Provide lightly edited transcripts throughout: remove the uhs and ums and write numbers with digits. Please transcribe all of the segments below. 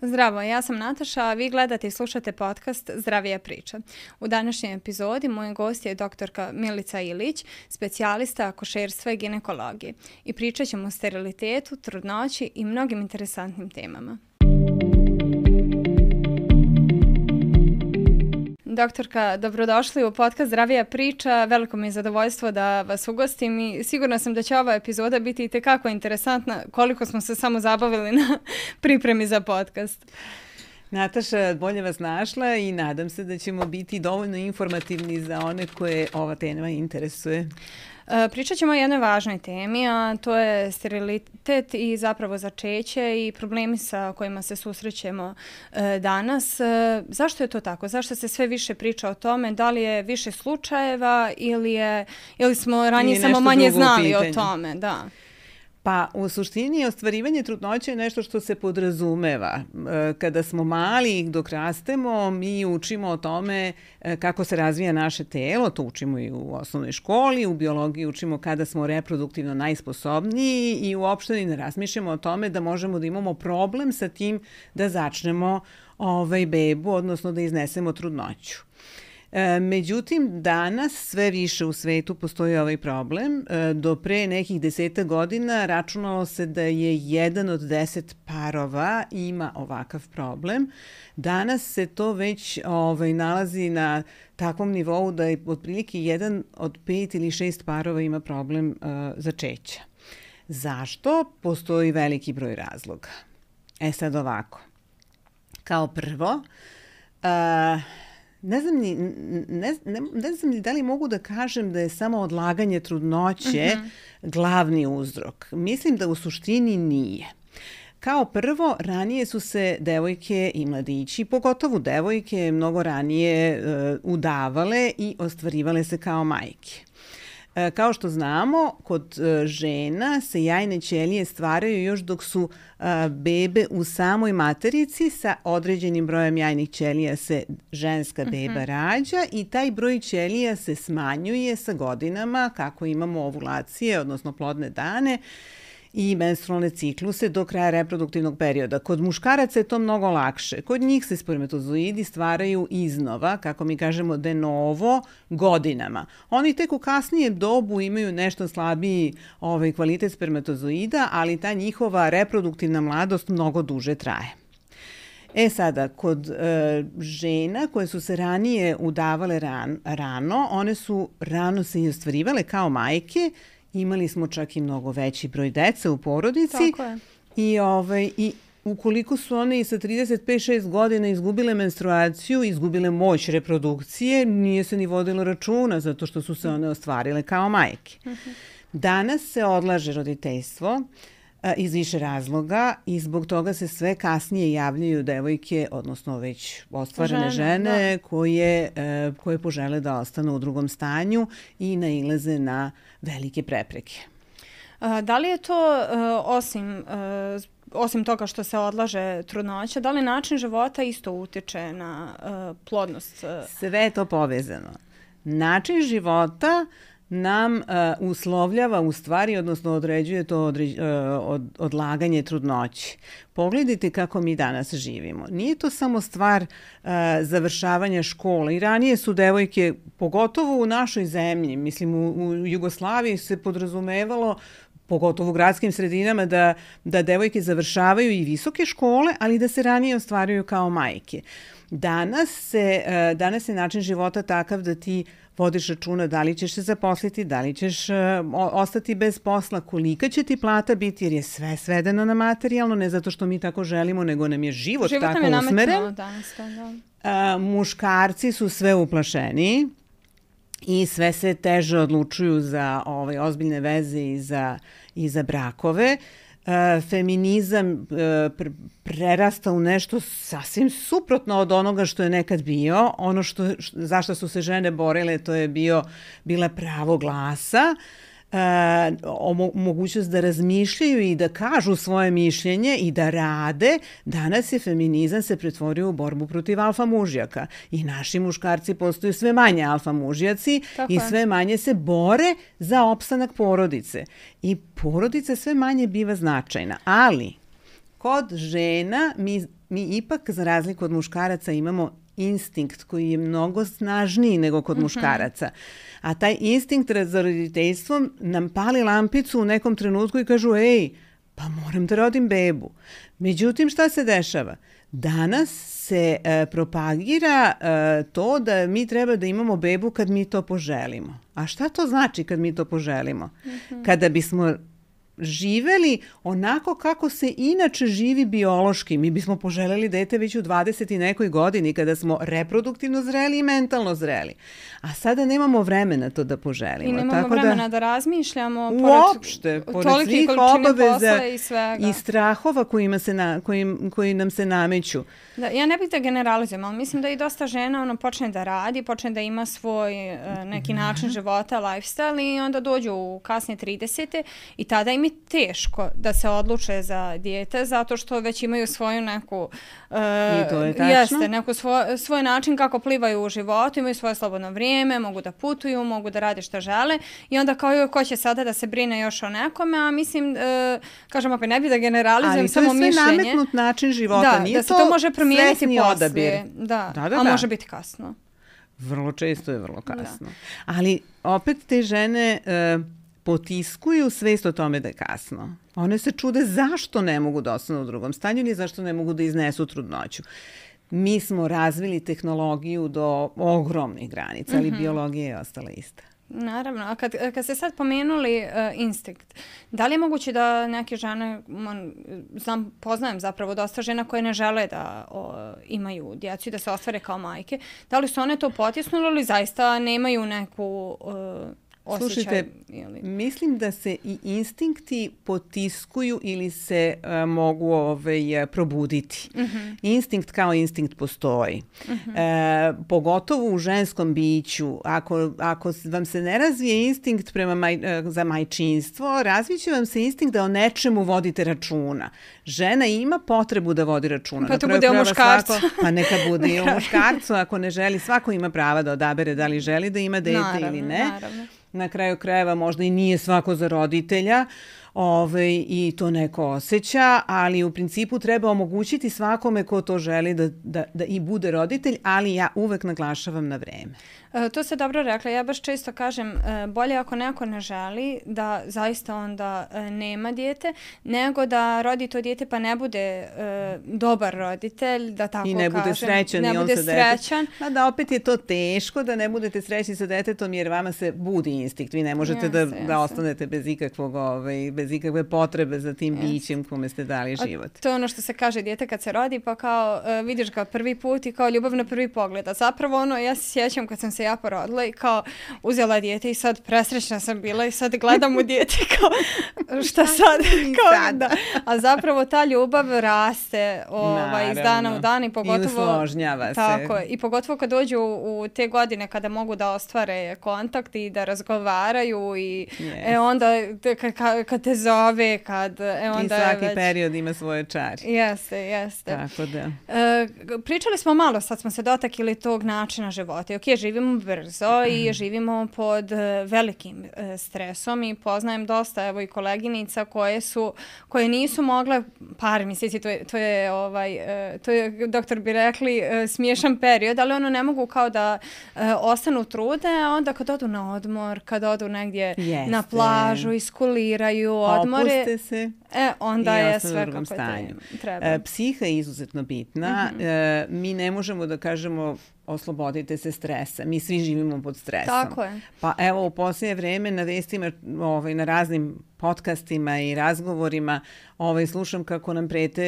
Zdravo, ja sam Nataša, a vi gledate i slušate podcast Zdravija priča. U današnjoj epizodi moj gost je doktorka Milica Ilić, specijalista akušerstva i ginekologije. I pričat ćemo o sterilitetu, trudnoći i mnogim interesantnim temama. Doktorka, dobrodošli u podcast Zdravija priča. Veliko mi je zadovoljstvo da vas ugostim i sigurna sam da će ova epizoda biti itekako interesantna koliko smo se samo zabavili na pripremi za podcast. Nataša, bolje vas našla i nadam se da ćemo biti dovoljno informativni za one koje ova tema interesuje. Pričat ćemo o jednoj važnoj temi, a to je sterilitet i zapravo začeće i problemi sa kojima se susrećemo danas. Zašto je to tako? Zašto se sve više priča o tome? Da li je više slučajeva ili smo ranije samo manje znali o tome? Da. Pa u suštini ostvarivanje trudnoće je nešto što se podrazumeva. Kada smo mali, dok rastemo, mi učimo o tome kako se razvija naše telo, to učimo i u osnovnoj školi, u biologiji učimo kada smo reproduktivno najsposobniji i uopšte ne razmišljamo o tome da možemo da imamo problem sa tim da začnemo bebu, odnosno da iznesemo trudnoću. Međutim, danas sve više u svetu postoji ovaj problem. Do pre nekih 10 godina računalo se da je 1 od 10 parova ima ovakav problem. Danas se to već nalazi na takvom nivou da je otprilike 1 od 5 ili 6 parova ima problem začeća. Zašto? Postoji veliki broj razloga. Sad ovako. Kao prvo, Ne znam ni da li mogu da kažem da je samo odlaganje trudnoće glavni uzrok. Mislim da u suštini nije. Kao prvo, ranije su se devojke i mladići, pogotovo devojke, mnogo ranije udavale i ostvarivale se kao majke. Kao što znamo, kod žena se jajne ćelije stvaraju još dok su bebe u samoj materici, sa određenim brojem jajnih ćelija se ženska beba rađa i taj broj ćelija se smanjuje sa godinama kako imamo ovulacije, odnosno plodne dane i menstrualne cikluse do kraja reproduktivnog perioda. Kod muškaraca je to mnogo lakše. Kod njih se spermatozoidi stvaraju iznova, kako mi kažemo de novo, godinama. Oni tek u kasnijem dobu imaju nešto slabiji kvalitet spermatozoida, ali ta njihova reproduktivna mladost mnogo duže traje. Sada, kod žena koje su se ranije udavale rano, one su rano se i ostvarivale kao majke. Imali smo čak i mnogo veći broj dece u porodici. Tako je. I ukoliko su one i sa 35-6 godina izgubile menstruaciju, izgubile moć reprodukcije, nije se ni vodilo računa zato što su se one ostvarile kao majke. Danas se odlaže roditeljstvo iz više razloga i zbog toga se sve kasnije javljaju devojke, odnosno već ostvarene žene koje požele da ostanu u drugom stanju i nailaze na velike prepreke. Da li je to, osim toga što se odlaže trudnoća, da li način života isto utiče na plodnost? Sve je to povezano. Način života nam uslovljava u stvari, odnosno određuje to odlaganje trudnoće. Pogledajte kako mi danas živimo. Nije to samo stvar završavanja škole. I ranije su devojke, pogotovo u našoj zemlji, mislim u Jugoslaviji se podrazumevalo, pogotovo u gradskim sredinama, da devojke završavaju i visoke škole, ali da se ranije ostvaruju kao majke. Danas je način života takav da ti vodiš računa da li ćeš se zaposliti, da li ćeš ostati bez posla, kolika će ti plata biti, jer je sve svedeno na materijalno, ne zato što mi tako želimo, nego nam je život tako usmeren. Muškarci su sve uplašeniji i sve se teže odlučuju za ozbiljne veze i za brakove. Feminizam prerasta u nešto sasvim suprotno od onoga što je nekad bio. Ono zašto su se žene borile, to je bila pravo glasa, mogućnost da razmišljaju i da kažu svoje mišljenje i da rade. Danas je feminizam se pretvorio u borbu protiv alfa mužjaka i naši muškarci postaju sve manje alfa mužjaci i sve manje se bore za opstanak porodice. I porodica sve manje biva značajna, ali kod žena mi mi ipak za razliku od muškaraca imamo instinkt koji je mnogo snažniji nego kod muškaraca. A taj instinkt za roditeljstvom nam pali lampicu u nekom trenutku i kažu, ej, pa moram da rodim bebu. Međutim, šta se dešava? Danas se propagira to da mi treba da imamo bebu kad mi to poželimo. A šta to znači kad mi to poželimo? Kada bismo živeli onako kako se inače živi biološki. Mi bismo poželjeli dete već u 20 i nekoj godini kada smo reproduktivno zreli i mentalno zreli. A sada nemamo vremena to da poželimo. I nemamo vremena da razmišljamo uopšte, pored svih obaveza i strahova koji nam se nameću. Da, ja ne bih da generalizujem, ali mislim da i dosta žena počne da radi, počne da ima svoj neki način života, lifestyle i onda dođu u kasne 30. i tada im je teško da se odluče za dijete zato što već imaju svoju neku svoj način kako plivaju u životu, imaju svoje slobodno vrijeme, mogu da putuju, mogu da rade što žele i onda kao ko će sada da se brine još o nekome, a mislim, kažem opet, ne bih da generalizujem samo mišljenje. Ali to je sve nametnut način života, nije da se to može promijeniti poslije. Da, a može biti kasno. Vrlo često je vrlo kasno. Ali opet te žene potiskuju svest o tome da je kasno. One se čude zašto ne mogu da ostanu u drugom stanju, ni zašto ne mogu da iznesu trudnoću. Mi smo razvili tehnologiju do ogromnih granica, ali biologija je ostala ista. Naravno, a kad ste sad pomenuli instinkt, da li je moguće da neke žene, poznajem zapravo dosta žena koje ne žele da imaju djecu i da se ostvare kao majke, da li su one to potisnule ili zaista nemaju neku osjećaj? Slušajte, mislim da se i instinkti potiskuju ili se mogu probuditi. Instinkt kao instinkt postoji. Pogotovo u ženskom biću. Ako vam se ne razvije instinkt za majčinstvo, razviće vam se instinkt da o nečemu vodite računa. Žena ima potrebu da vodi računa. Pa to bude u muškarcu. Pa neka bude i u muškarcu. Ako ne želi, svako ima prava da odabere da li želi da ima dete ili ne. Naravno. Na kraju krajeva možda i nije svako za roditelja i to neko osjeća, ali u principu treba omogućiti svakome ko to želi da i bude roditelj, ali ja uvek naglašavam na vreme. To ste dobro rekla. Ja baš često kažem bolje ako neko ne želi da zaista onda nema dijete, nego da rodi to dijete pa ne bude dobar roditelj, da tako kažem. I ne bude srećan. Ne bude srećan. Da opet je to teško da ne budete srećni sa detetom jer vama se budi instinkt. Vi ne možete da ostanete bez bez ikakve potrebe za tim bićem kome ste dali život. To je ono što se kaže dijete kad se rodi pa kao vidiš ga prvi put i kao ljubav na prvi pogled. A zapravo ja se sjećam kad sam se ja porodila i kao uzela dijete i sad presrećna sam bila i sad gledam u dijete kao šta sad? A zapravo ta ljubav raste iz dana u dan i pogotovo i usložnjava se. Tako, i pogotovo kad dođu u te godine kada mogu da ostvare kontakt i da razgovaraju i onda kad te zove, onda i svaki period ima svoje čari. Jeste. Tako da. Pričali smo malo, sad smo se dotakli tog načina života. Ok, živimo brzo i živimo pod velikim stresom i poznajem dosta i koleginica koje nisu mogle par mjeseci, to je doktor bi rekli smiješan period, ali ne mogu kao da ostanu trudne, a onda kad odu na odmor, kad odu negdje na plažu, iskuliraju, odmore. Opuste se. Onda je sve kako treba. Psiha je izuzetno bitna. Mi ne možemo da kažemo oslobodite se stresa. Mi svi živimo pod stresom. Tako je. Pa evo u posljednje vreme na vestima, na raznim podcastima i razgovorima slušam kako nam prete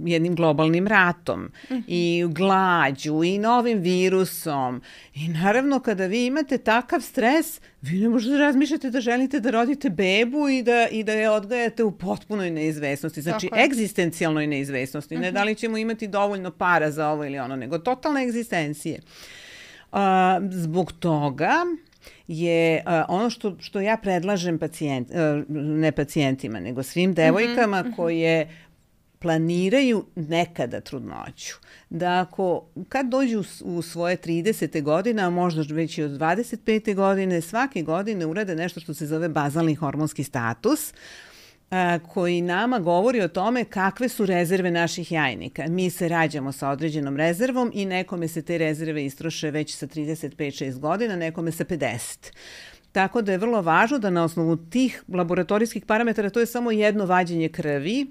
jednim globalnim ratom i glađu i novim virusom. I naravno kada vi imate takav stres, vi ne možete da razmišljate da želite da rodite bebu i da je odgajate u potpunoj neizvesnosti. Znači egzistencijalnoj neizvesnosti. Ne da li ćemo imati dovoljno para za ovo ili ono, nego totalne egzistencije. Zbog toga je ono što ja predlažem ne pacijentima, nego svim devojkama koje planiraju nekada trudnoću. Da kad dođu u svoje 30. godine, a možda već i od 25. godine, svake godine urade nešto što se zove bazalni hormonski status. koji nama govori o tome kakve su rezerve naših jajnika. Mi se rađamo sa određenom rezervom i nekome se te rezerve istroše već sa 35-6 godina, nekome sa 50. Tako da je vrlo važno da na osnovu tih laboratorijskih parametara, to je samo jedno vađenje krvi,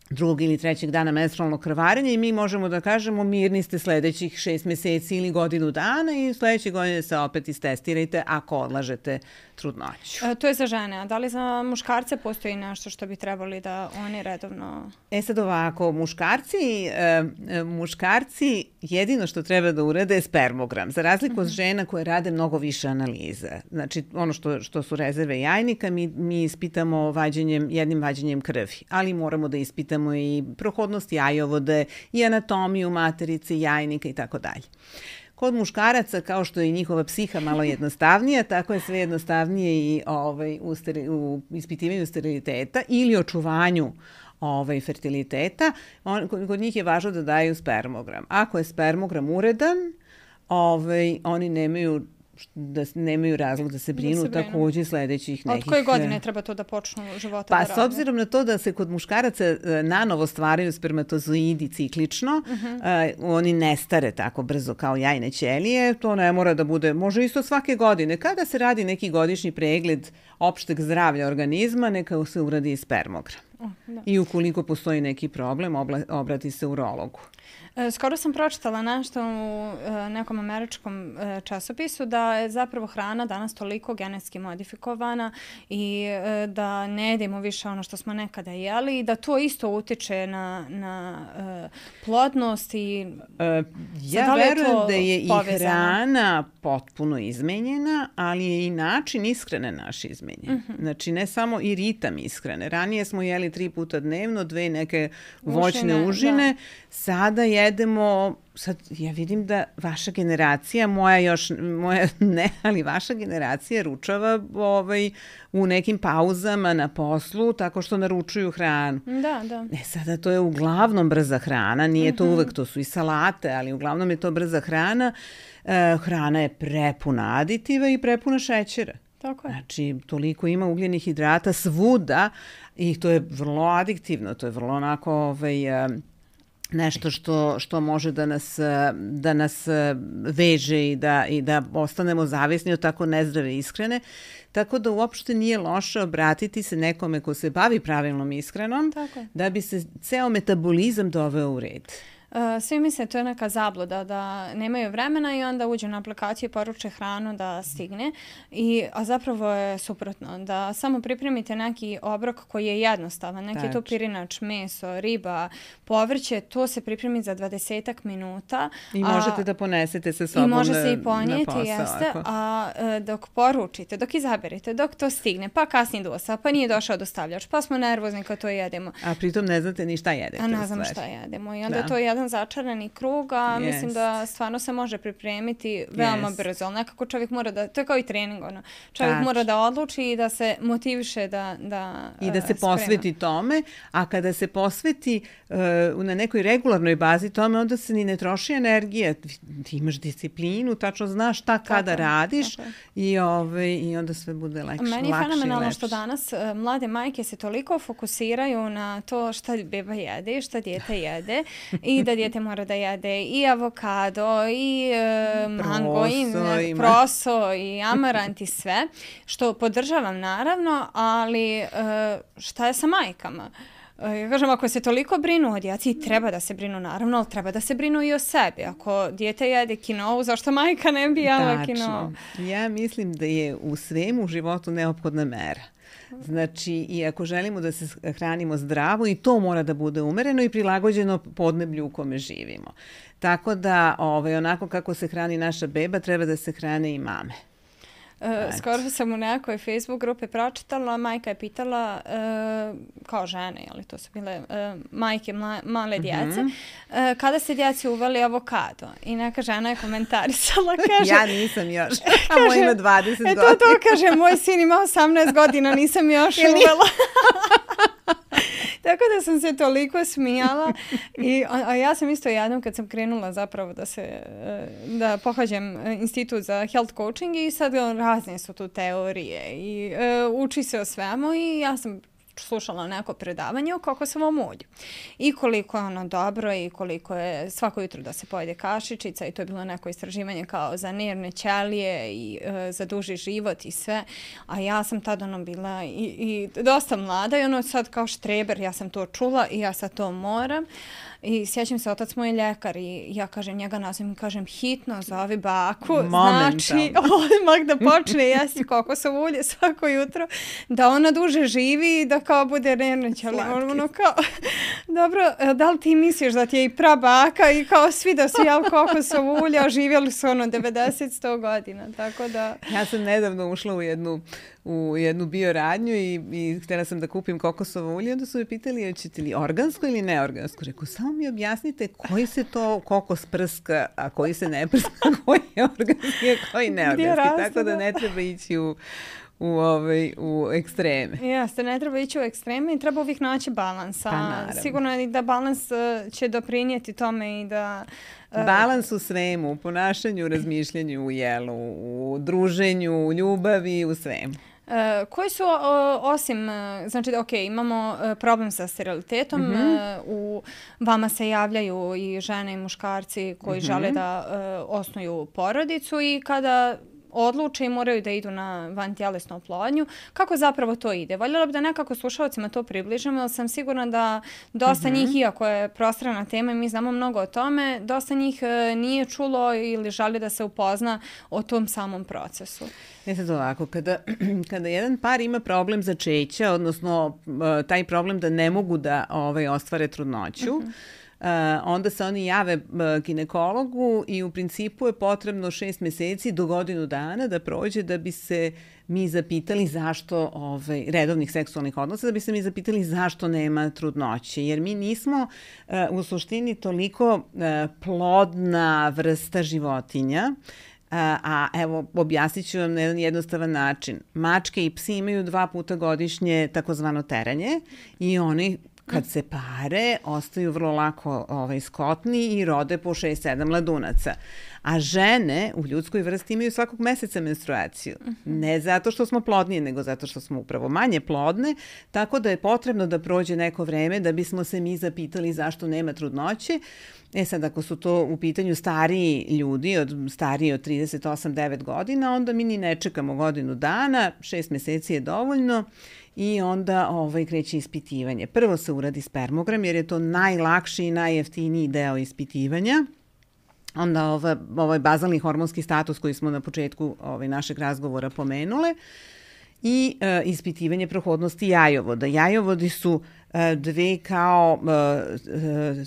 drugog ili trećeg dana menstrualnog krvarenja i mi možemo da kažemo mirni ste sledećih 6 meseci ili godinu dana i sledeće godine se opet istestirajte ako odlažete trudnoću. To je za žene, a da li za muškarce postoji nešto što bi trebali da oni redovno... Sad ovako, muškarci jedino što treba da urade je spermogram, za razliku od žena koje rade mnogo više analiza. Znači, ono što su rezerve jajnika, mi ispitamo jednim vađenjem krvi, ali moramo da ispitamo i prohodnost jajovode i anatomiju materice, jajnika i tako dalje. Kod muškaraca, kao što je njihova psiha malo jednostavnija, tako je sve jednostavnije i u ispitivanju steriliteta ili očuvanju fertiliteta. Kod njih je važno da daju spermogram. Ako je spermogram uredan, oni nemaju razlog da se brinu takođe sledećih nekih... Od koje godine treba to da počnu života da rade? Pa s obzirom na to da se kod muškaraca nanovo stvaraju spermatozoidi ciklično, oni ne stare tako brzo kao jajne ćelije, to ne mora da bude, može isto svake godine. Kada se radi neki godišnji pregled opšteg zdravlja organizma, neka se uradi i spermogram. I ukoliko postoji neki problem, obrati se urologu. Skoro sam pročitala nešto u nekom američkom časopisu da je zapravo hrana danas toliko genetski modifikovana i da ne jedemo više ono što smo nekada jeli i da to isto utiče na plodnost i ja verujem da je i hrana potpuno izmenjena, ali je i način ishrane naš izmenjen. Znači ne samo i ritam ishrane. Ranije smo jeli 3 puta dnevno, 2 neke voćne užine, sada jedemo, sad ja vidim da vaša generacija, moja ne, ali vaša generacija ručava u nekim pauzama na poslu tako što naručuju hranu. Da. Sada to je uglavnom brza hrana, nije to uvek, to su i salate, ali uglavnom je to brza hrana. Hrana je prepuna aditiva i prepuna šećera. Tako je. Znači, toliko ima ugljenih hidrata svuda i to je vrlo adiktivno, to je vrlo onako nešto što može da nas veže i da ostanemo zavisni od tako nezdrave ishrane. Tako da uopšte nije loše obratiti se nekome ko se bavi pravilnom ishranom da bi se ceo metabolizam doveo u red. Svi misle to je neka zabluda da nemaju vremena i onda uđu na aplikaciju i poruče hranu da stigne, a zapravo je suprotno, da samo pripremite neki obrok koji je jednostavan, neki to pirinač, meso, riba, povrće, to se pripremi za 20 minuta. I možete da ponesete sa sobom na posao. I može se i ponijeti, jeste, a dok poručite, dok izaberete, dok to stigne, pa kasni dosta, pa nije došao dostavljač, pa smo nervozni kad to jedemo. A pritom ne znate ni šta jedete. A ne znam šta jedemo i onda to je jedan začarani krug, a mislim da stvarno se može pripremiti veoma brzo, ali nekako čovjek mora da, to je kao i trening, čovjek mora da odluči i da se motiviše da i da se posveti tome, a kada se posveti na nekoj regularnoj bazi tome, onda se ni ne troši energija, ti imaš disciplinu, tačno znaš šta kada radiš i onda sve bude lakše i lepše. Meni je fenomenalno što danas mlade majke se toliko fokusiraju na to šta beba jede, šta dijete jede i da dijete mora da jede i avokado i mango i proso i amarant i sve, što podržavam naravno, ali šta je sa majkama? Ja kažem, ako se toliko brinu o djeci, treba da se brinu naravno, ali treba da se brinu i o sebi. Ako dijete jede kinovu, zašto majka ne bi jela kinovu? Ja mislim da je u svemu u životu neophodna mera. Znači, i ako želimo da se hranimo zdravo, i to mora da bude umereno i prilagođeno podneblju u kome živimo. Tako da, onako kako se hrani naša beba, treba da se hrane i mame. Skoro sam u nekoj Facebook grupi pročitala, majka je pitala, kao žene, ali to su bile majke male djece, kada ste djeci uveli avokado? I neka žena je komentarisala, kaže... Ja nisam još, a moj ima 20 godina. To kaže, moj sin ima 18 godina, nisam još uvela. Tako da sam se toliko smijala, a ja sam isto jednom kad sam krenula zapravo da pohađam institut za health coaching i sad razne su tu teorije i uči se o svemu i ja sam slušala neko predavanje o kokosovom ulju. I koliko je ono dobro i koliko je svako jutro da se pojede kašičica i to je bilo neko istraživanje kao za nervne ćelije i za duži život i sve. A ja sam tada ono bila i dosta mlada i ono sad kao štreber, ja sam to čula i ja sad to moram. I sjećam se, otac moj je ljekar i ja kažem njega nazovem i kažem hitno zovi baku, znači odmah da počne jesti kokosovo ulje svako jutro, da ona duže živi i da kao bude nervna ćelija. Ono kao, dobro, da li ti misliš da ti je i prabaka i kao svi da su jeli kokosovo ulje, a živjeli su ono 90-100 godina, tako da... Ja sam nedavno ušla u jednu bioradnju i htjela sam da kupim kokosovo ulje, onda su me pitali hoćete li organsko ili neorgansko. Rekao, samo mi objasnite koji se to kokos prska, a koji se ne prska, koji je organski, a koji neorganski. Tako da ne treba ići u ekstreme. Jeste, ne treba ići u ekstreme i treba uvijek naći balans. Sigurno je da balans će doprinijeti tome i da... Balans u svemu, u ponašanju, u razmišljanju, u jelu, u druženju, u ljubavi, u svemu. Koji su, osim, znači, ok, imamo problem sa sterilitetom, u vama se javljaju i žene i muškarci koji žele da osnuju porodicu i kada odluče i moraju da idu na vantjelesnu oplodnju. Kako zapravo to ide? Voljela bi da nekako slušalcima to približimo, jer sam sigurna da dosta njih, iako je prostrana tema i mi znamo mnogo o tome, dosta njih nije čulo ili želi da se upozna o tom samom procesu. Sad ovako, kada jedan par ima problem začeća, odnosno taj problem da ne mogu da ostvare trudnoću, onda se oni jave ginekologu i u principu je potrebno 6 mjeseci do godinu dana da prođe da bi se mi zapitali zašto redovnih seksualnih odnosa, da bi se mi zapitali zašto nema trudnoće. Jer mi nismo u suštini toliko plodna vrsta životinja. A evo, objasnit ću vam na jedan jednostavan način. Mačke i psi imaju 2 puta godišnje takozvano teranje i oni kad se pare, ostaju vrlo lako skotni i rode po 6-7 mladunaca. A žene u ljudskoj vrsti imaju svakog meseca menstruaciju. Ne zato što smo plodnije, nego zato što smo upravo manje plodne, tako da je potrebno da prođe neko vreme da bismo se mi zapitali zašto nema trudnoće. Sad, ako su to u pitanju stariji ljudi, stariji od 38-9 godina, onda mi ni ne čekamo godinu dana, 6 mjeseci je dovoljno. I onda kreće ispitivanje. Prvo se uradi spermogram jer je to najlakši i najjeftiniji deo ispitivanja. Onda ovaj bazalni hormonski status koji smo na početku našeg razgovora pomenule i ispitivanje prohodnosti jajovoda. Jajovodi su 2 kao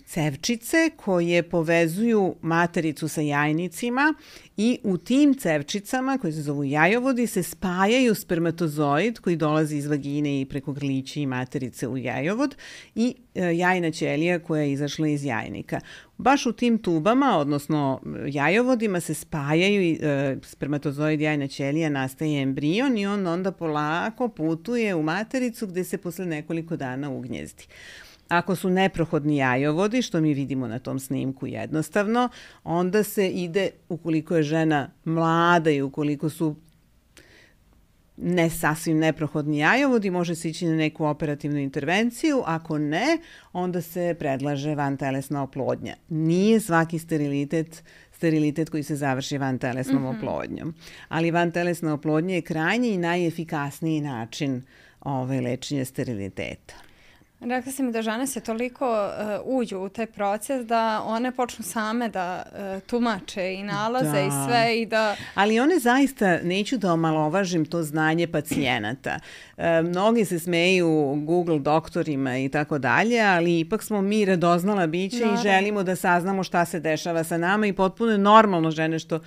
cevčice koje povezuju matericu sa jajnicima i u tim cevčicama koje se zovu jajovodi se spajaju spermatozoid koji dolazi iz vagine i preko grlića i materice u jajovod i jajna ćelija koja je izašla iz jajnika. Baš u tim tubama, odnosno jajovodima se spajaju spermatozoid, jajna ćelija, nastaje embrion i on onda polako putuje u matericu gdje se posle nekoliko dana ugnjezdi. Ako su neprohodni jajovodi, što mi vidimo na tom snimku jednostavno, onda se ide, ukoliko je žena mlada i ukoliko su ne sasvim neprohodni jajovodi, može se ići na neku operativnu intervenciju. Ako ne, onda se predlaže vantelesna oplodnja. Nije svaki sterilitet koji se završi vantelesnom oplodnjom. Ali vantelesna oplodnja je krajnji i najefikasniji način lečenja steriliteta. Rekla sam mi da žene se toliko uđu u taj proces da one počnu same da tumače i nalaze i sve i da... Ali one zaista, neću da omalovažim to znanje pacijenata. Mnogi se smeju Google doktorima i tako dalje, ali ipak smo mi radoznala biće i želimo da saznamo šta se dešava sa nama i potpuno je normalno, žene, što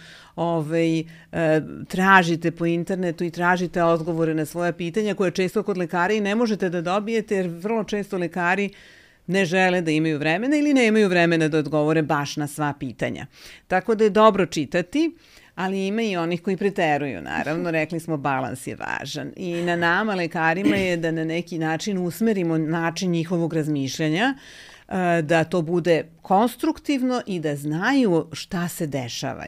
tražite po internetu i tražite odgovore na svoja pitanja koje često kod lekara i ne možete da dobijete jer vrlo često lekari ne žele da imaju vremena ili nemaju vremena da odgovore baš na sva pitanja. Tako da je dobro čitati, ali ima i onih koji preteruju, naravno. Rekli smo, balans je važan. I na nama, lekarima, je da na neki način usmerimo način njihovog razmišljanja da to bude konstruktivno i da znaju šta se dešava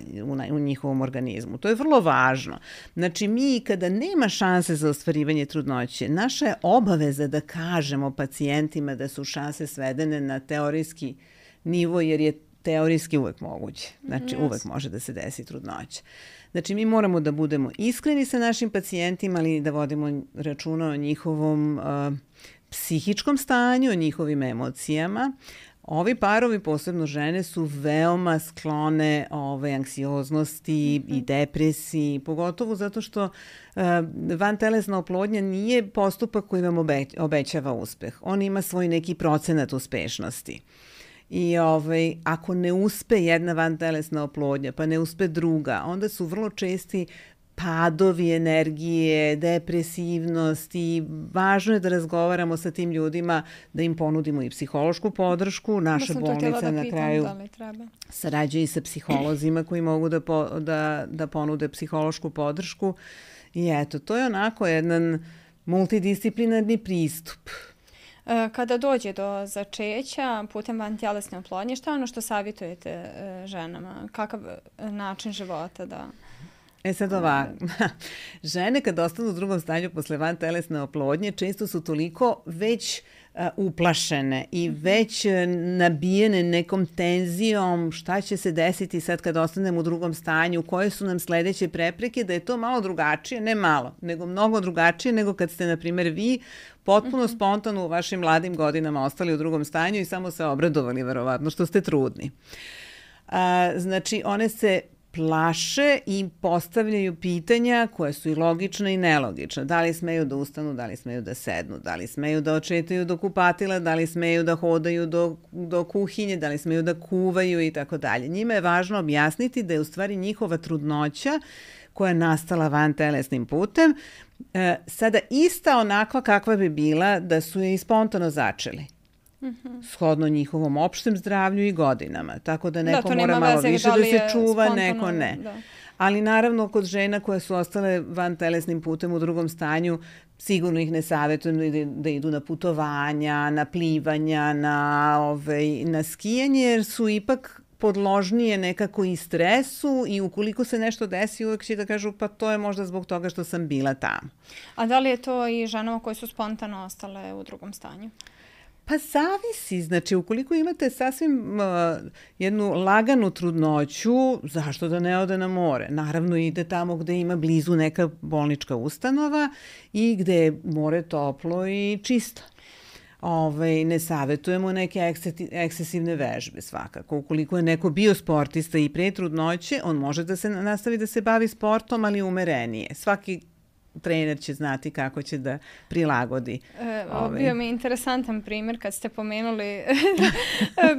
u njihovom organizmu. To je vrlo važno. Znači, mi kada nema šanse za ostvarivanje trudnoće, naša je obaveza da kažemo pacijentima da su šanse svedene na teorijski nivo, jer je teorijski uvek moguće. Znači, uvek može da se desi trudnoća. Znači, mi moramo da budemo iskreni sa našim pacijentima, ali da vodimo računa o njihovom psihičkom stanju, o njihovim emocijama. Ovi parovi, posebno žene, su veoma sklone anksioznosti i depresiji, pogotovo zato što vantelesna oplodnja nije postupak koji vam obećava uspeh. On ima svoj neki procenat uspešnosti. I ako ne uspe jedna vantelesna oplodnja, pa ne uspe druga, onda su vrlo česti padovi energije, depresivnost i važno je da razgovaramo sa tim ljudima, da im ponudimo i psihološku podršku. Naša bolnica na kraju sarađuje i sa psiholozima koji mogu da ponude psihološku podršku. I eto, to je onako jedan multidisciplinarni pristup. Kada dođe do začeća putem vantelesne oplodnje, šta je ono što savjetujete ženama? Kakav način života da... Sad ovako, žene kad ostanu u drugom stanju posle vantelesne oplodnje često su toliko već uplašene i već nabijene nekom tenzijom šta će se desiti sad kad ostanemo u drugom stanju, koje su nam sledeće prepreke, da je to malo drugačije, ne malo, nego mnogo drugačije nego kad ste, na primjer, vi potpuno spontano u vašim mladim godinama ostali u drugom stanju i samo se obradovali, verovatno, što ste trudni. Znači, one se plaše i postavljaju pitanja koja su i logična i nelogična. Da li smeju da ustanu, da li smeju da sednu, da li smeju da očetaju do kupatila, da li smeju da hodaju do kuhinje, da li smeju da kuvaju i tako dalje. Njima je važno objasniti da je u stvari njihova trudnoća koja je nastala vantelesnim putem, sada ista onakva kakva bi bila da su je i spontano začeli. Shodno njihovom opštem zdravlju i godinama. Tako da neko mora malo više da se čuva, neko ne. Ali naravno kod žena koje su ostale vantelesnim putem u drugom stanju, sigurno ih ne savjetujem da idu na putovanja, na plivanja, na skijanje, jer su ipak podložnije nekako i stresu i ukoliko se nešto desi, uvek će da kažu pa to je možda zbog toga što sam bila tamo. A da li je to i ženama koje su spontano ostale u drugom stanju? Pa zavisi, znači ukoliko imate sasvim jednu laganu trudnoću, zašto da ne ode na more? Naravno ide tamo gde ima blizu neka bolnička ustanova i gde je more toplo i čisto. Ne savjetujemo neke ekscesivne vežbe svakako. Ukoliko je neko bio sportista i pre trudnoće, on može da se nastavi da se bavi sportom, ali umerenije. Svaki trener će znati kako će da prilagodi. Bio mi interesantan primjer kad ste pomenuli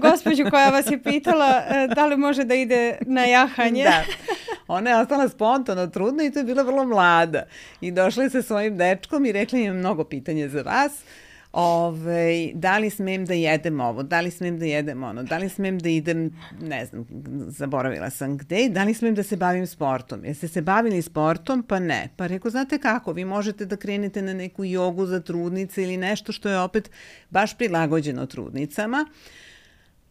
gospođu koja vas je pitala da li može da ide na jahanje. Da. Ona je ostala spontano trudna i to je bila vrlo mlada. I došla je sa svojim dečkom i rekla im mnogo pitanja za vas. Da li smem da jedem ovo, da li smem da jedem ono, da li smem da idem, ne znam, zaboravila sam gde, da li smem da se bavim sportom. Jeste se bavili sportom? Pa ne. Pa rekao, znate kako, vi možete da krenete na neku jogu za trudnice ili nešto što je opet baš prilagođeno trudnicama.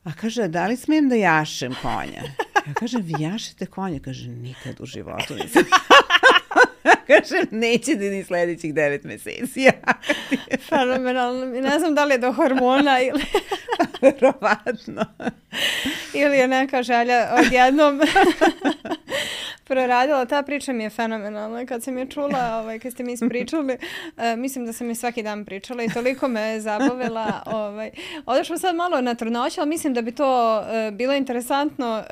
A kaže, da li smem da jašem konja? Ja kažem, vi jašete konja? Kaže, nikad u životu nisam. Kažem, neće da ni sledećih 9 meseci. Fenomenalno. Ne znam da li je do hormona ili... Verovatno. Ili je neka želja odjednom proradila. Ta priča mi je fenomenalna. Kad sam je čula, kad ste mi ispričali, mislim da sam je svaki dan pričala i toliko me je zabavila. Odešla sad malo na trudnoću, ali mislim da bi to bilo interesantno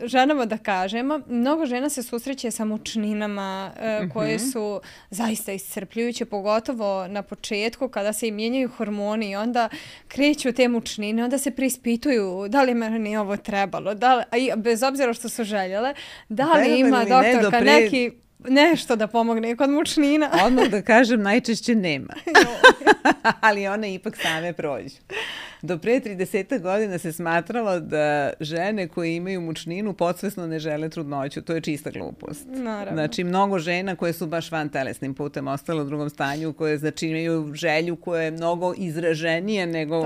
ženama da kažemo. Mnogo žena se susreće sa mučninama koje su zaista iscrpljujuće, pogotovo na početku kada se im mijenjaju hormoni i onda kreću te mučnine, onda se preispituju da li meni ovo trebalo, bez obzira što su željele, da li ima doktorka neki nešto da pomogne kod mučnina. Odmah da kažem, najčešće nema. Ali one ipak same prođu. Do pre 30 godina se smatralo da žene koje imaju mučninu podsvesno ne žele trudnoću. To je čista glupost. Naravno. Znači, mnogo žena koje su baš van telesnim putem ostale u drugom stanju, koje znači imaju želju koja je mnogo izraženija nego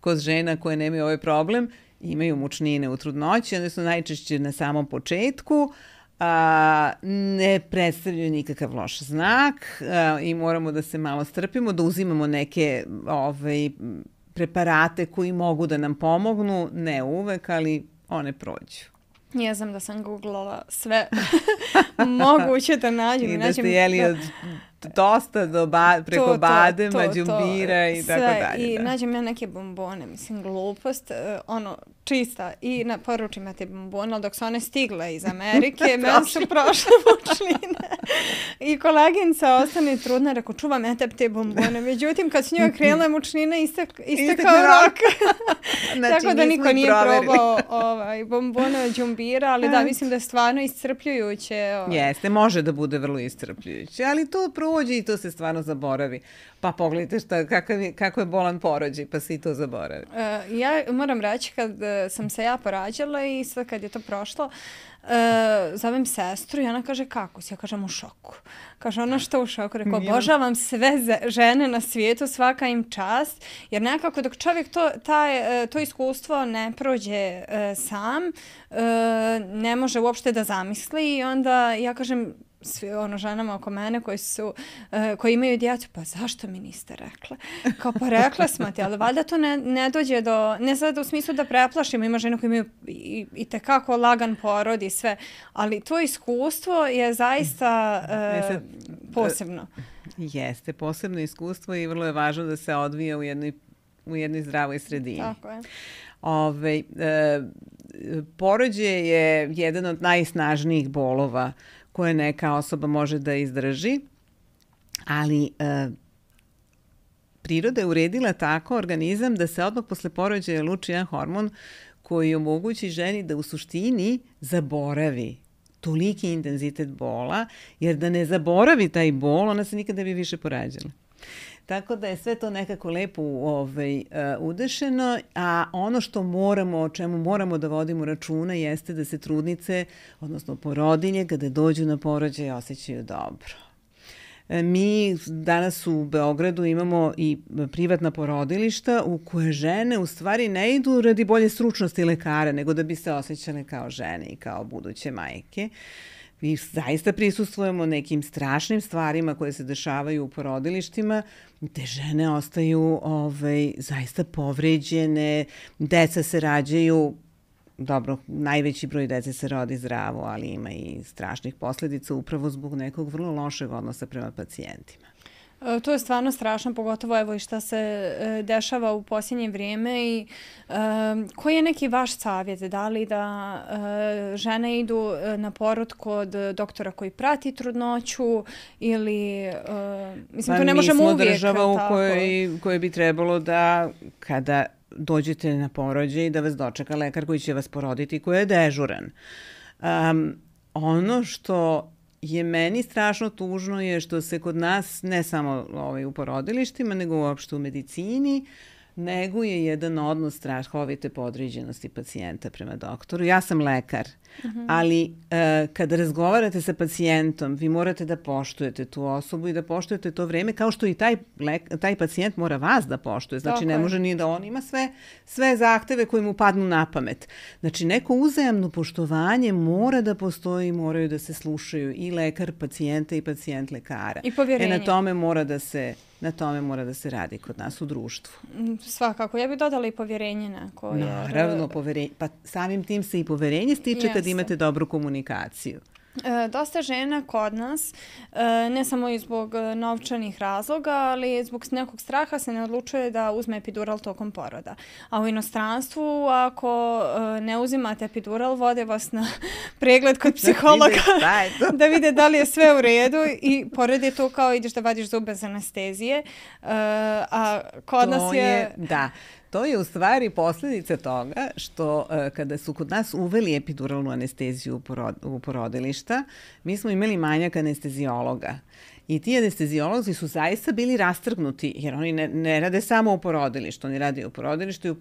kod žena koje nemaju ovaj problem, imaju mučnine u trudnoći, one su najčešće na samom početku, ne predstavljaju nikakav loš znak i moramo da se malo strpimo, da uzimamo neke preparate koji mogu da nam pomognu, ne uvek, ali one prođu. Ja znam da sam googlala sve moguće da nađem. I da ste jeli od dosta preko badema, đumbira i tako dalje. I nađem ja neke bombone, mislim, glupost, čista. I poručim ja te bombone, ali dok su one stigle iz Amerike, meni su prošle mučnine. I koleginica ostane trudna, rekao, čuvam ja te bombone. Međutim, kad su njoj krenule mučnine, istekao rok. Znači, tako da niko nije probao bombone od đumbira, ali da, mislim da je stvarno iscrpljujuće. Jeste, može da bude vrlo iscrpljujuće, ali to prođe i to se stvarno zaboravi. Pa pogledajte kako je bolan porođaj, pa se i to zaboravi. Ja moram reći, kad sam se ja porađala i sve kad je to prošlo, zovem sestru i ona kaže, kako si? Ja kažem, u šoku. Kaže, ona što u šoku? Rekao, obožavam sve žene na svijetu, svaka im čast, jer nekako dok čovjek to iskustvo ne prođe sam, ne može uopšte da zamisli i onda ja kažem, svi ženama oko mene koji imaju djecu, pa zašto mi niste rekla? Kao, pa rekla smo ti, ali valjda to ne dođe do, ne sad u smislu da preplašimo, ima žene koji imaju i tekako lagan porod i sve, ali to iskustvo je zaista posebno. Jeste, posebno iskustvo i vrlo je važno da se odvija u jednoj zdravoj sredini. Tako je. Porođaj je jedan od najsnažnijih bolova koje neka osoba može da izdrži, ali priroda je uredila tako organizam da se odmah posle porođaja luči jedan hormon koji omogući ženi da u suštini zaboravi toliki intenzitet bola, jer da ne zaboravi taj bol, ona se nikada ne bi više porađala. Tako da je sve to nekako lepo udešeno, a ono što o čemu moramo da vodimo računa jeste da se trudnice, odnosno porodilje, kada dođu na porođaj, osjećaju dobro. Mi danas u Beogradu imamo i privatna porodilišta u koje žene u stvari ne idu radi bolje stručnosti lekara, nego da bi se osjećale kao žene i kao buduće majke. Mi zaista prisustvujemo nekim strašnim stvarima koje se dešavaju u porodilištima, gde žene ostaju zaista povređene, deca se rađaju, dobro, najveći broj dece se rodi zdravo, ali ima i strašnih posljedica upravo zbog nekog vrlo lošeg odnosa prema pacijentima. To je stvarno strašno, pogotovo evo i šta se dešava u posljednje vrijeme i koji je neki vaš savjet? Da li da žene idu na porod kod doktora koji prati trudnoću ili, mislim, to ne možemo uvijek. Mi smo država u kojoj bi trebalo da kada dođete na porođaj da vas dočeka lekar koji će vas poroditi, koji je dežuran. Ono što je meni strašno tužno je što se kod nas, ne samo u porodilištima, nego uopšte u medicini, neguje jedan odnos strahovite podređenosti pacijenta prema doktoru. Ja sam lekar, ali kada razgovarate sa pacijentom, vi morate da poštujete tu osobu i da poštujete to vreme, kao što i taj pacijent mora vas da poštuje. Znači, ne može ni da on ima sve zahteve koji mu padnu na pamet. Znači, neko uzajamno poštovanje mora da postoji, moraju da se slušaju i lekar pacijenta i pacijent lekara. I povjerenje. Na tome mora da se radi kod nas u društvu. Svakako. Ja bih dodala i povjerenje neko. Naravno, pa samim tim se i povjerenje stiče kad imate dobru komunikaciju. Dosta žena kod nas, ne samo i zbog novčanih razloga, ali zbog nekog straha se ne odlučuje da uzme epidural tokom poroda. A u inostranstvu, ako ne uzimate epidural, vode vas na pregled kod psihologa da vide da li je sve u redu i pored je to kao ideš da vadiš zube za anestezije. A kod nas je... Da. To je u stvari posljedica toga što kada su kod nas uveli epiduralnu anesteziju u porodilišta, mi smo imali manjak anestezijologa. I ti anestezijolozi su zaista bili rastrgnuti, jer oni ne rade samo u porodilištu, oni rade u porodilištu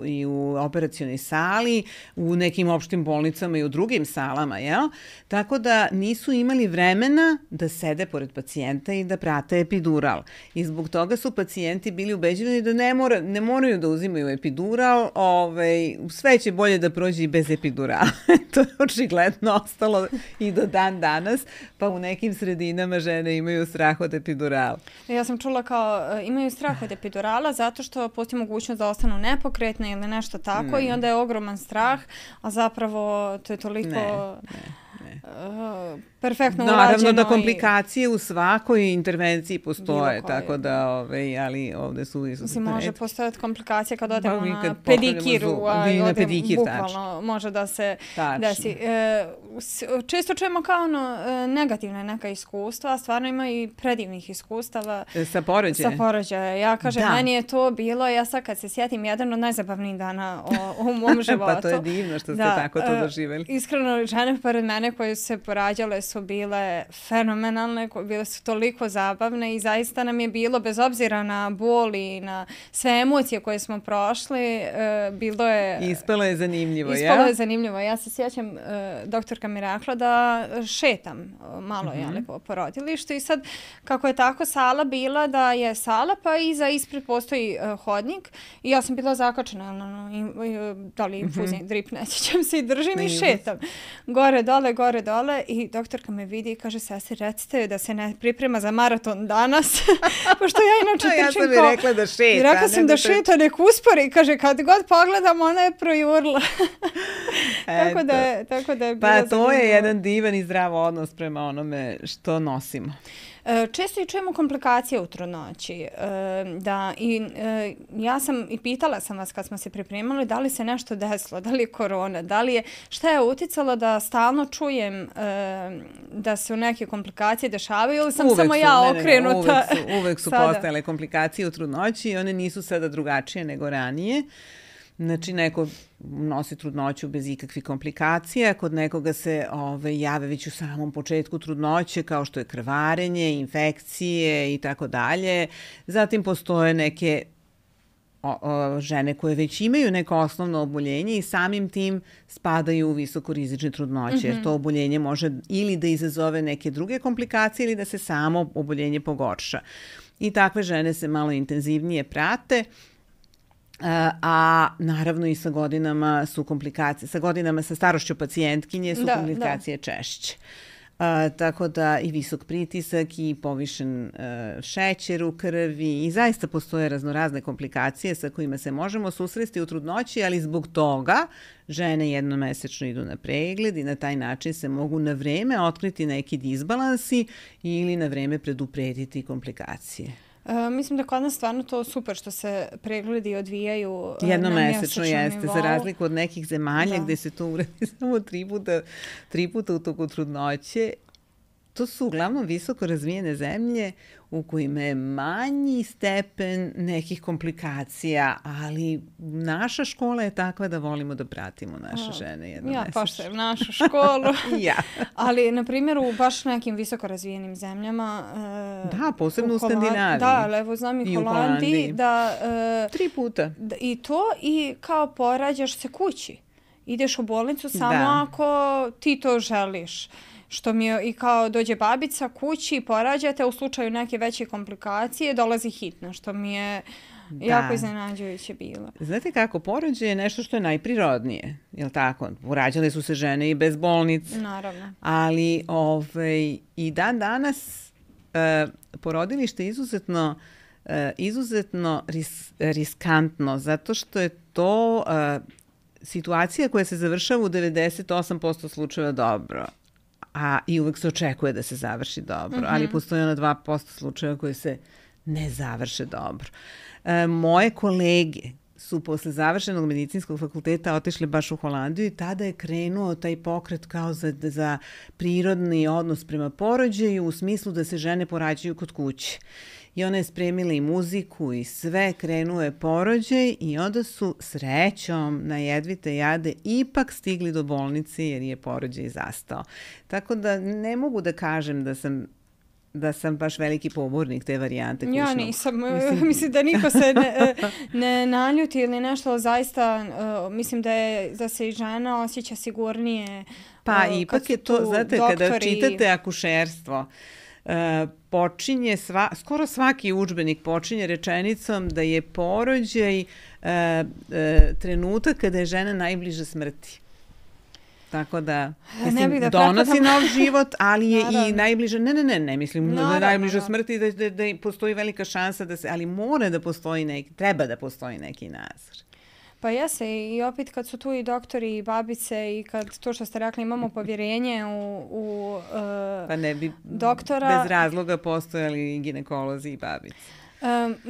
i u operacionoj sali, u nekim opštim bolnicama i u drugim salama, jel? Tako da nisu imali vremena da sede pored pacijenta i da prate epidural. I zbog toga su pacijenti bili ubeđeni da ne moraju da uzimaju epidural, sve će bolje da prođe i bez epidurala. To je očigledno ostalo i do dan danas, pa u nekim sredinama žene imaju strah od epidurala. Ja sam čula kao imaju strah od epidurala zato što postoji mogućnost da ostanu nepokretne ili nešto tako i onda je ogroman strah, a zapravo to je toliko... perfektno urađeno. Naravno da komplikacije u svakoj intervenciji postoje, tako da, ali ovde su Mislim, može postojati komplikacije kad odemo na pedikiru, bukvalno može da se desi. Često čujemo kao negativne neka iskustva, a stvarno ima i predivnih iskustava. Sa porođaja. Ja kažem, meni je to bilo, ja sad kad se sjetim, jedan od najzabavnijih dana u mom životu. Pa to je divno što ste tako to doživjeli. Iskreno, žene pored mene koje su se porađale su bile fenomenalne, bile su toliko zabavne i zaista nam je bilo, bez obzira na bol i na sve emocije koje smo prošli, bilo je... Ispalo je zanimljivo, Ispalo je zanimljivo. Ja se sjećam, doktorka mi rekla da šetam malo po porodilištu i sad, kako je tako sala bila, da je sala, pa ispred postoji hodnik i ja sam bila zakačena, da li infuzni drip, nećećem se i držim i šetam. Gore, dole i doktorka me vidi i kaže, sestri, recite da se ne priprema za maraton danas, pošto ja inače trčim ja sam mi rekla da šeta. I rekla sam da šeta, nek uspori, kaže, kad god pogledam, ona je projurla. tako da je bilo pa to je jedan divan i zdrav odnos prema onome što nosimo. Često i čujemo komplikacije u trudnoći. Ja sam i pitala sam vas kad smo se pripremali da li se nešto desilo, da li je korona, šta je uticalo da stalno čujem da se neke komplikacije dešavaju ili sam samo ja okrenuta. Uvek su postojale komplikacije u trudnoći i one nisu sada drugačije nego ranije. Znači, neko nosi trudnoću bez ikakvih komplikacija, kod nekoga se jave već u samom početku trudnoće, kao što je krvarenje, infekcije i tako dalje. Zatim postoje neke žene koje već imaju neko osnovno oboljenje i samim tim spadaju u visokorizične trudnoće, jer to oboljenje može ili da izazove neke druge komplikacije ili da se samo oboljenje pogorša. I takve žene se malo intenzivnije prate. A naravno i sa godinama su komplikacije, sa starošću pacijentkinje su komplikacije češće. Tako da i visok pritisak i povišen šećer u krvi i zaista postoje raznorazne komplikacije sa kojima se možemo susresti u trudnoći, ali zbog toga žene jednomesečno idu na pregled i na taj način se mogu na vreme otkriti neki disbalansi ili na vreme preduprediti komplikacije. Mislim da kod nas stvarno to super što se pregledi odvijaju jednomesečno jeste, za razliku od nekih zemalja gde se to uradi samo tri puta u toku trudnoće. To su uglavnom visoko razvijene zemlje u kojima je manji stepen nekih komplikacija, ali naša škola je takva da volimo da pratimo naše žene jednomesečno. Ja poštujem našu školu. Ali, na primjer, u baš nekim visoko razvijenim zemljama... posebno u Skandinaviji. Da, evo znam i u Holandiji. 3 puta. I to, i kao porađaš se kući. Ideš u bolnicu samo ako ti to želiš. Što mi je i kao dođe babica kući i porađate, u slučaju neke veće komplikacije dolazi hitno, što mi je jako iznenađujuće bilo. Znate kako, porođaj je nešto što je najprirodnije, jel tako? Urađale su se žene i bez bolnice. Naravno. Ali i dan danas porodilište je izuzetno riskantno, zato što je to situacija koja se završava u 98% slučajeva dobro. I uvek se očekuje da se završi dobro, ali postoje 2% slučajeva koji se ne završe dobro. Moje kolege su posle završenog medicinskog fakulteta otišli baš u Holandiju i tada je krenuo taj pokret kao za prirodni odnos prema porođaju u smislu da se žene porađaju kod kuće. I ona je spremila i muziku i sve, krenuo je porođaj i onda su srećom na jedvite jade ipak stigli do bolnice jer je porođaj zastao. Tako da ne mogu da kažem da sam da sam baš veliki pobornik te varijante kućnog. Ja nisam. Mislim da niko se ne naljuti ili nešto, zaista mislim da se i žena osjeća sigurnije. Pa ipak je to, znate, kada čitate akušerstvo, počinje skoro svaki udžbenik počinje rečenicom da je porođaj trenutak kada je žena najbliže smrti. Tako da, mislim, donosi nov život, ali je i najbliže, ne mislim da je najbliže smrti, da postoji velika šansa da se, ali mora da postoji treba da postoji neki nadzor. Pa jeste, i opet kad su tu i doktori i babice i kad to što ste rekli imamo povjerenje u pa ne bi doktora. Bez razloga postojali ginekolozi i babice.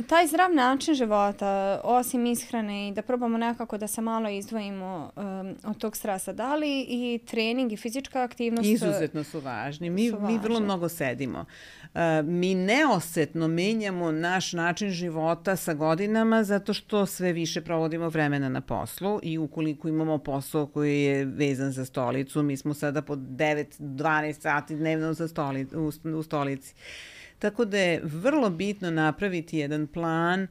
Taj zdrav način života, osim ishrane i da probamo nekako da se malo izdvojimo od tog stresa, da li i trening i fizička aktivnost izuzetno su važni. Mi vrlo mnogo sedimo. Mi neosetno menjamo naš način života sa godinama zato što sve više provodimo vremena na poslu i ukoliko imamo posao koji je vezan za stolicu, mi smo sada po 9-12 sati dnevno u stolici. Tako da je vrlo bitno napraviti jedan plan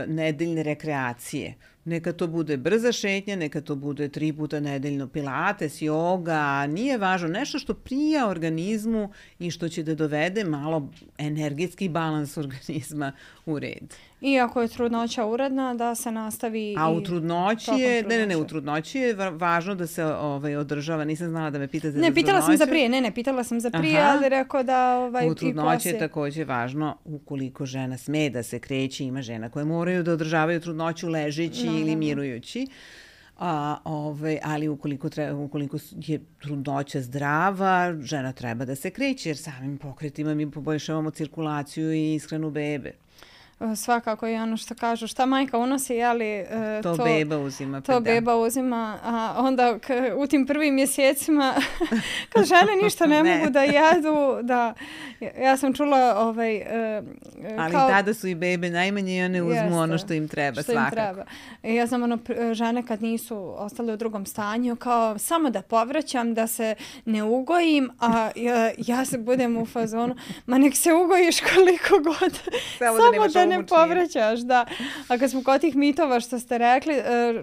nedeljne rekreacije. Neka to bude brza šetnja, neka to bude 3 puta nedeljno pilates, joga, nije važno. Nešto što prija organizmu i što će da dovede malo energetski balans organizma u red. I ako je trudnoća uredna, da se nastavi a u trudnoći je, u trudnoći je važno da se održava. Nisam znala da me pitate za trudnoću. Pitala sam za prije, ali rekao da u trudnoći je također važno ukoliko žena sme da se kreće, ima žena koje moraju da održavaju trudnoću ležeći ili mirujući. Ali ukoliko je trudnoća zdrava, žena treba da se kreće jer samim pokretima mi poboljšavamo cirkulaciju i ishranu bebe. Svakako je ono što kažu, šta majka unosi, ali to beba uzima. To beba uzima, a onda u tim prvim mjesecima kad žene ništa ne mogu da jedu, ja sam čula ali tada su i bebe najmanje i one uzmu ono što im treba, svakako. Ja znam žene kad nisu ostale u drugom stanju, kao samo da povraćam, da se ne ugojim, a ja se budem u fazonu, ma nek se ugojiš koliko god, samo da ne povraćaš, da. A kad smo kod tih mitova što ste rekli,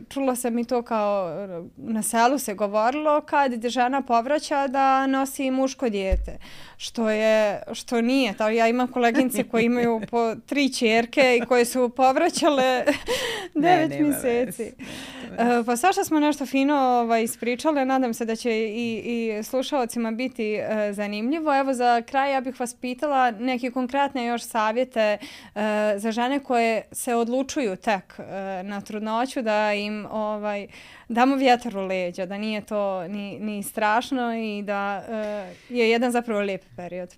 čula sam i to kao na selu se govorilo kad žena povraća da nosi muško dijete. Što nije. Ja imam koleginice koje imaju po 3 ćerke i koje su povraćale 9 mjeseci. Pa svašta smo nešto fino ispričale. Nadam se da će i slušalcima biti zanimljivo. Evo za kraj ja bih vas pitala neke konkretne još savjete za žene koje se odlučuju tek na trudnoću, da im damo vjetar u leđa, da nije to ni strašno i da je jedan zapravo lijep period.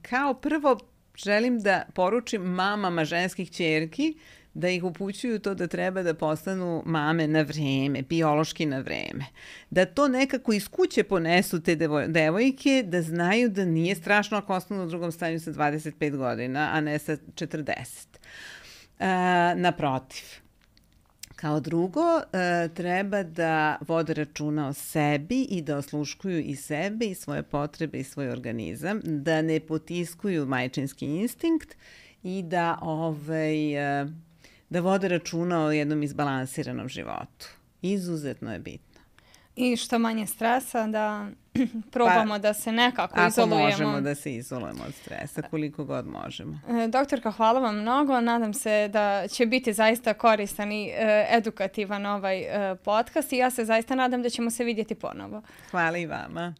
Kao prvo želim da poručim mamama ženskih ćerki da ih upućuju to da treba da postanu mame na vreme, biološki na vreme. Da to nekako iz kuće ponesu te devojke, da znaju da nije strašno ako ostanu u drugom stanju sa 25 godina, a ne sa 40. Naprotiv. Kao drugo, treba da vode računa o sebi i da osluškuju i sebe i svoje potrebe i svoj organizam, da ne potiskuju majčinski instinkt i da vode računa o jednom izbalansiranom životu. Izuzetno je bitno. I što manje stresa, da probamo da se nekako izolujemo. Ako možemo da se izolujemo od stresa, koliko god možemo. Doktorka, hvala vam mnogo. Nadam se da će biti zaista koristan i edukativan ovaj podcast i ja se zaista nadam da ćemo se vidjeti ponovo. Hvala i vama.